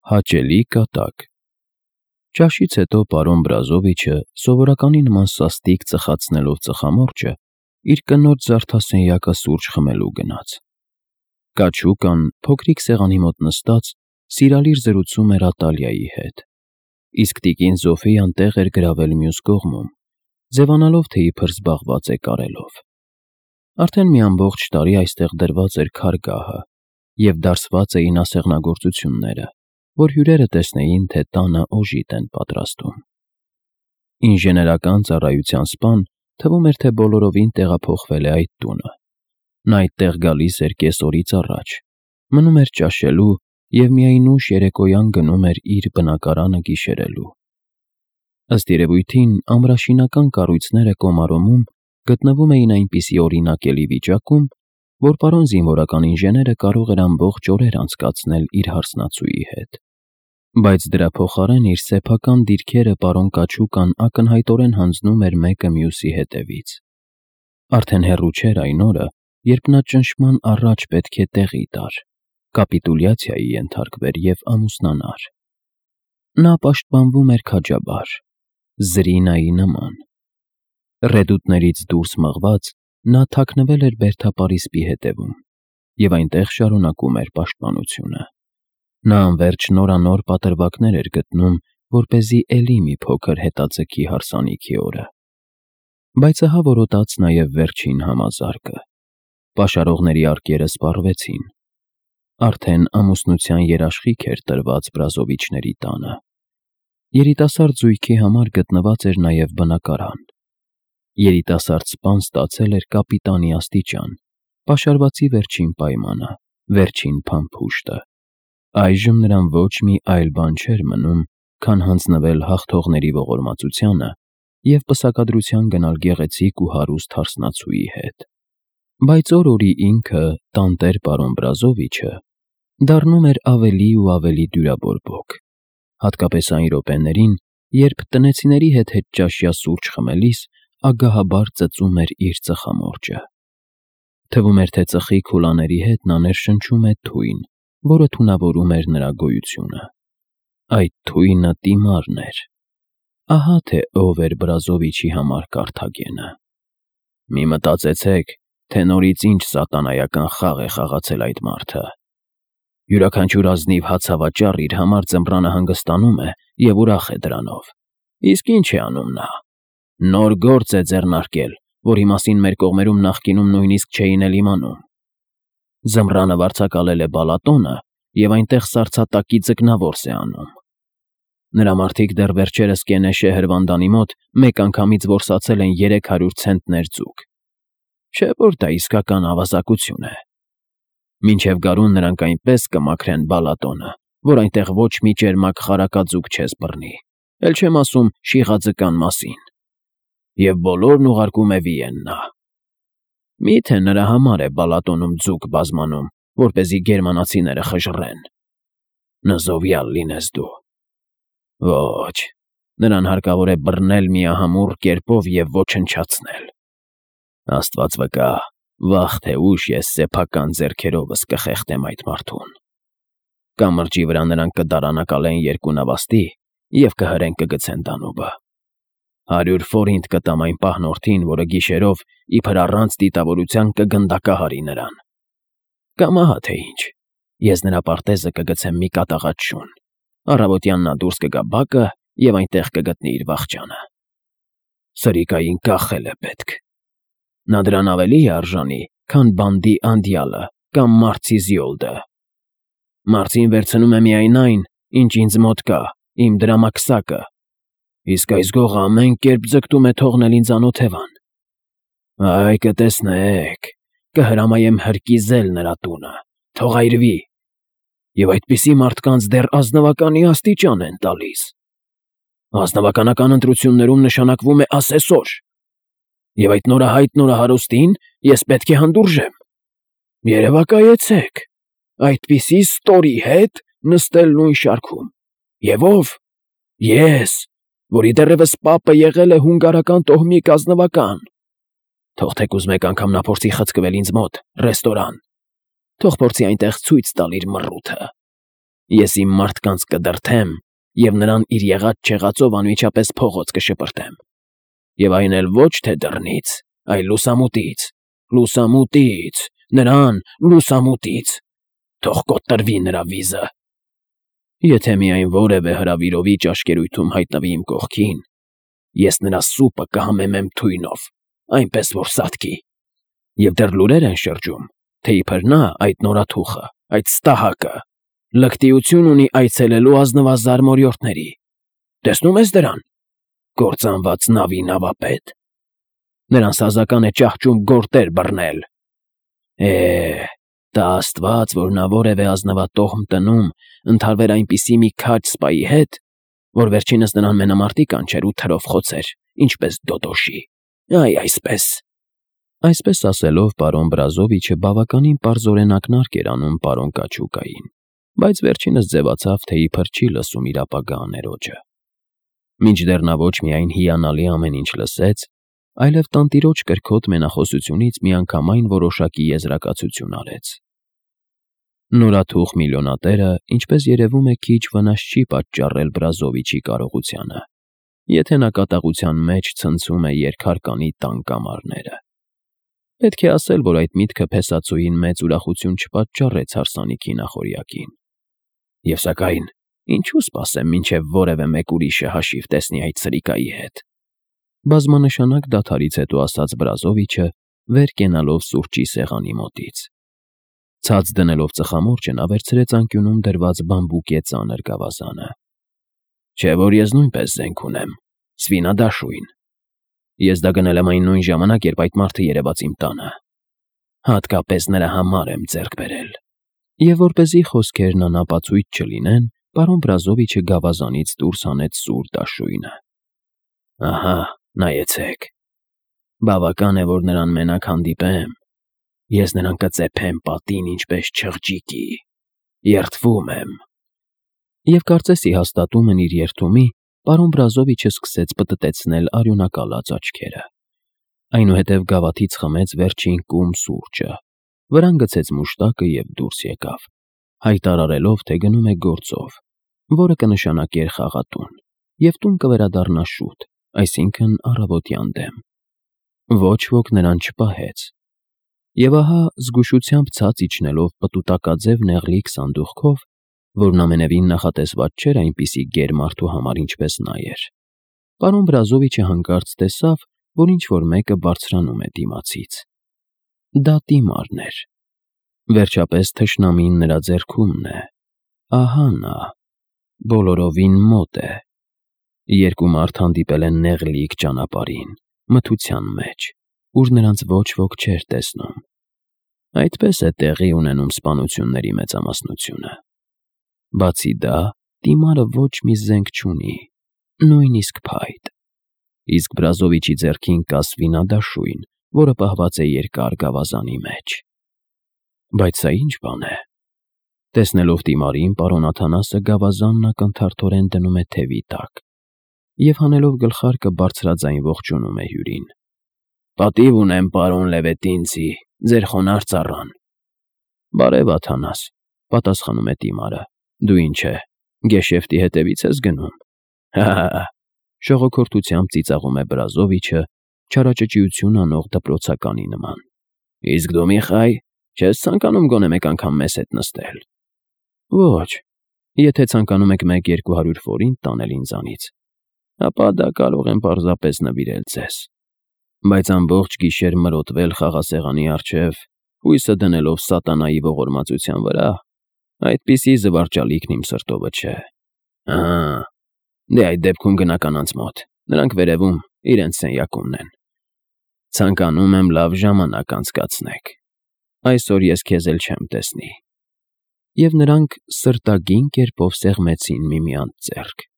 Հաճելի կատակ։ Ճաշից հետո պարոն Բրազովիչը, սովորականի նման սաստիկ ծխացնելով ծխամորճը, իր կնոջ զարդասենյակը սուրճ խմելու գնաց։ Կաչուկան, փոքրիկ սեղանի մոտ նստած, սիրալիր զրուցում էր Ատալիայի հետ, իսկ տիկին Զոֆիան տեղ էր գրավել մյուս կողմում, ձևանալով, թե իբր զբաղված է կարելով։ Արդեն մի ամբողջ տարի այստեղ դրված էր քարգահը, և դարսված էին ասեղնագործությունները, որ հյուրերը տեսնեին, թե տանը օժիտ են պատրաստում։ Ինժեներական ծառայության սպան թվում էր, թե բոլորովին տեղափոխվել է այդ տունը։ Նա այդտեղ գալիս էր կեսօրից առաջ, մնում էր ճաշելու և միայն ուշ երեկոյան գնում էր իր բնակարանը գիշերելու։ Ըստ երևույթին, ամրաշինական կառույցները Կոմարոմում գտնվում էին այնպիսի օրինակելի վիճակում, որ պարոն զինվորական ինժեները կարող էր ամբողջ օրեր անցկացնել իր հարսնացուի հետ։ Բայց դրա փոխարեն իր սեփական դիրքերը պարոն Կաչուկան ակնհայտորեն հանձնում էր մեկը մյուսի հետևից։ Արդեն հեռու չէր այն օրը, երբ նա ճնշման առաջ պետք է տեղի տար, կապիտուլյացիայի ենթարկվեր և ամուսնանար։ Նա պաշտպանվում էր քաջաբար, Զրինայի նման։ Ռեդուտներից դուրս մղված՝ նա թաքնվել էր բերդապարիսպի հետևում և այնտեղ շարունակում էր պաշտպանությունը։ Նա անվերջ նորանոր պատրվակներ էր գտնում, որպեսզի էլի մի փոքր հետաձգի հարսանիքի օրը։ Բայց ահա որոտաց նաև վերջին համազարկը։ Պաշարողների արկերը սպառվեցին։ Արդեն ամուսնության երաշխիք էր տրված Բրազովիչների տանը։ Երիտասարդ զույգի համար գտնված էր նաև բնակարան։ Երիտասարդ սպան ստացել էր կապիտանի աստիճան, պաշարվածի վերջին պայմանը, վերջին փամփուշտը։ Այժմ նրան ոչ մի այլ բան չէր մնում, քան հանձնվել հաղթողների ողորմածությանը և պսակադրության գնալ գեղեցիկ ու հարուստ հարսնացուի հետ։ Բայց օր-օրի ինքը, տանտեր պարոն Բրազովիչը, դառնում էր ավելի ու ավելի դյուրաբորբոք, հատկապես այն րոպեներին, երբ տնեցիների հետ հետճաշյա սուրճ խմելիս ագահաբար ծծում էր իր ծխամորճը։ Թվում էր, թե ծխի քուլաների հետ նա ներշնչում է թույն, որը թունավորում էր նրա գոյությունը։ Այդ թույնը Տիմարն էր։ Ահա թե ով էր Բրազովիչի համար Կարթագենը։ Մի մտածեցեք, թե նորից ինչ սատանայական խաղ է խաղացել այդ մարդը։ Յուրաքանչյուր ազնիվ հացավաճառ իր համար ձմռանը հանգստանում է և ուրախ է դրանով։ Իսկ ինչ է անում նա։ Նոր գործ է ձեռնարկել, որի մասին մեր կողմերում նախկինում նույնիսկ չէին էլ իմանում։ Ձմռանը վարձակալել է Բալատոնը և այնտեղ սառցատակի ձկնավորս է անում։ Նրա մարդիկ դեռ վերջերս Կենեշե հրվանդանի մոտ մեկ անգամից որսացել են 300 ցենտներ ձուկ։ Չէ՞ որ դա իսկական ավազակություն է։ Մինչև գարուն նրանք այնպես կմաքրեն Բալատոնը, որ այնտեղ ոչ մի ճերմակ խարակաձուկ չես բռնի, էլ չեմ ասում շիղաձկան մասին։ Եվ բոլորն ուղարկում է Վիեննա։ Մի՞թե նրա համար է Բալատոնում ձուկ բազմանում, որպեսզի գերմանացիները խժռեն։ Նզովյալ լինես դու։ Ոչ, նրան հարկավոր է բռնել միահամուռ կերպով և ոչնչացնել։ Աստված վկա, վաղ թե ուշ ես սեփական ձեռքերովս կխեղդեմ այդ մարդուն։ Կամրջի վրա նրանք կդարանակալեն երկու նավաստի և կհրեն կգցեն Դանուբը։ 100 ֆորինտ կտամ այն պահնորդին, որը գիշերով իբր առանց դիտավորության կգնդակահարի նրան։ Կամ ահա թե ինչ, ես նրա պարտեզը կգցեմ մի կատաղած շուն, առավոտյան նա դուրս կգա բակը և այնտեղ կգտնի իր վախճանը։ Սրիկային կախել է պետք։ Նա դրան ավելի է արժանի, քան բանդի Անդյալը կամ Մարցի Զիոլդը։ Մարցին վերցնում է միայն այն, ինչ ինձ մոտ կա, իմ դրամակսակը, իսկ այս գողը ամեն կերպ ձգտում է թողնել ինձ անօթևան։ Այ կտեսնեք, կհրամայեմ հրկիզել նրա տունը, թող այրվի, և այդպիսի մարդկանց դեռ ազնվականի աստիճան են տալիս։ Ազնվականական ընտրություններում նշանակվում է ասեսոր, և այդ նորահայտ նորահարուստին ես պետք է հանդուրժեմ։ Երևակայեցեք, այդպիսի ստորի հետ նստել նույն շարքում։ Եվ ով։ Ես, որի դեռևս պապը եղել է հունգարական տոհմի կազնվական։ Թող թեկուզ մեկ անգամ նա փորձի խցկվել ինձ մոտ, ռեստորան։ Թող փորձի այնտեղ ցույց տալ իր մռութը։ Ես իմ մարդկանց կդրթեմ և նրան իր եղած-չեղածով անմիջապես փողոց կշպրտեմ, և այն էլ ոչ թե դռնից, այլ լուսամուտից, լուսամուտից, նրան լուսամուտից, թող կոտրվի նրա վիզը։ Եթե միայն որևէ հրավիրովի ճաշկերույթում հայտնվի իմ կողքին, ես նրա սուպը կհամեմեմ թույնով, այնպես որ սատկի։ Եվ դեռ լուրեր են շրջում, թե իբր նա, այդ նորաթուխը, այդ ստահակը, լկտիություն ունի այցելելու ազնվազար մորյորդների։ Տեսնում ես դրան, կործանված նավի նավապետ։ Նրան սազական է ճահճում գորտեր բռնել։ Տա աստված, որ նա որևէ ազնվատոհմ տնում ընդհարվեր այնպիսի մի քաջ սպայի հետ, որ վերջինս նրան մենամարտի կանչեր ու թրով խոցեր, ինչպես Դոդոշի։ Այ այսպես։ Այսպես ասելով, պարոն Բրազովիչը բավականին պարզորեն ակնարկ էր անում պարոն Կաչուկային, բայց վերջինս ձևացավ, թե իբր չի լսում իր ապագա աներոջը։ Մինչդեռ նա ոչ միայն հիանալի ամեն ինչ լսեց, այլև տանտիրոջ կրքոտ մենախոսությունից միանգամայն որոշակի եզրակացություն արեց։ Նորաթուխ միլիոնատերը, ինչպես երևում է, քիչ վնաս չի պատճառել Բրազովիչի կարողությանը, եթե նա կատաղության մեջ ցնցում է երկհարկանի տան կամարները։ Պետք է ասել, որ այդ միտքը փեսացուին մեծ ուրախություն չպատճառեց հարսանիքի նախօրյակին։ Եվ սակայն, ինչու սպասեմ, մինչև որևէ մեկ ուրիշը հաշիվ տեսնի այդ սրիկայի հետ։ Բազմանշանակ դադարից հետո ասաց Բրազովիչը, վեր կենալով սուրճի սեղանի մոտից։ Ցած դնելով ծխամորճը նա վերցրեց անկյունում դրված բամբուկե ծանր գավազանը։ Չէ՞ որ ես նույնպես զենք ունեմ, սվինադաշույն։ Ես դա գնել եմ այն նույն ժամանակ, երբ այդ մարդը երևաց իմ տանը։ Հատկապես նրա համար եմ ձեռք բերել։ Եվ որպեսզի խոսքերն անապացույց չլինեն, պարոն Բրազովիչը գավազանից դուրս հանեց սուր դաշույնը։ Ահա, նայեցեք։ Բավական է, որ նրան մենակ հանդիպեմ։ Ես նրան կծեփեմ պատին ինչպես չղջիկի։ Երդվում եմ։ Եվ կարծեսի հաստատումն իր երդումի, պարոն Բրազովիչը սկսեց պտտեցնել արյունակալած աչքերը։ Այնուհետև գավաթից խմեց վերջին կում սուրճը, վրան գցեց մուշտակը և դուրս եկավ, հայտարարելով, թե գնում է գործով, որը կնշանակեր խաղատուն, և տուն կվերադառնա շուտ, այսինքն առավոտյան դեմ։ Ոչ ոք նրան չպահեց։ Եվ ահա զգուշությամբ ցած իջնելով պտուտակաձև նեղլիկ սանդուղքով, որն ամենևին նախատեսված չէր այնպիսի գեր-մարդու համար, ինչպես նա էր, պարոն Բրազովիչը հանկարծ տեսավ, որ ինչ-որ մեկը բարձրանում է դիմացից։ Դա Տիմարն էր։ Վերջապես թշնամին նրա ձեռքումն է։ Ահա նա, բոլորովին մոտ է։ Երկու մարդ հանդիպել են նեղլիկ ճանապարհին, մթության մեջ, ուր նրանց ոչ ոք չէր տեսնում։ Այդպես է տեղի ունենում սպանությունների մեծամասնությունը։ Բացի դա, Տիմարը ոչ մի զենք չունի, նույնիսկ փայտ։ Իսկ Բրազովիչի ձեռքին կա սվինադաշույն, որը պահված է երկար գավազանի մեջ։ Բայց սա ինչ բան է։ Տեսնելով Տիմարին, պարոն Աթանասը գավազանն ակնթարթորեն դնում է թևի տակ և հանելով գլխարկը բարձրաձայն ողջունում է հյուրին։ Պատիվ ունեմ, պարոն Լևետինցի, ձեր խոնարհ ծառան։ Բարև, Աթանաս, պատասխանում է Տիմարը։ Դու ինչ է, գեշեֆտի հետևից ես գնում։ Հա, շողոքորթությամբ ծիծաղում է Բրազովիչը, չարաճճիություն անող դպրոցականի նման։ Իսկ դու, Միխայ, չես ցանկանում գոնե մեկ անգամ մեզ հետ նստել։ Ոչ, եթե ցանկանում եք 1-200 ֆորինտ տանել ինձանից, ապա դա կարող եմ պարզապես նվիրել ձեզ։ Բայց ամբողջ գիշեր մրոտվել խաղասեղանի առջև, հույսը դնելով սատանայի ողորմածության վրա, այդպիսի զվարճալիքն իմ սրտովը չէ։ Ահա, դե այդ դեպքում գնա կանանց մոտ, նրանք վերևում իրենց սենյակումն են։ Ցանկանում եմ լավ ժամանակ անցկացնեք։ Այսօր ես քեզ էլ չեմ տեսնի։ Եվ նրանք սրտագին կերպով սեղմեցին միմյանց ձեռք։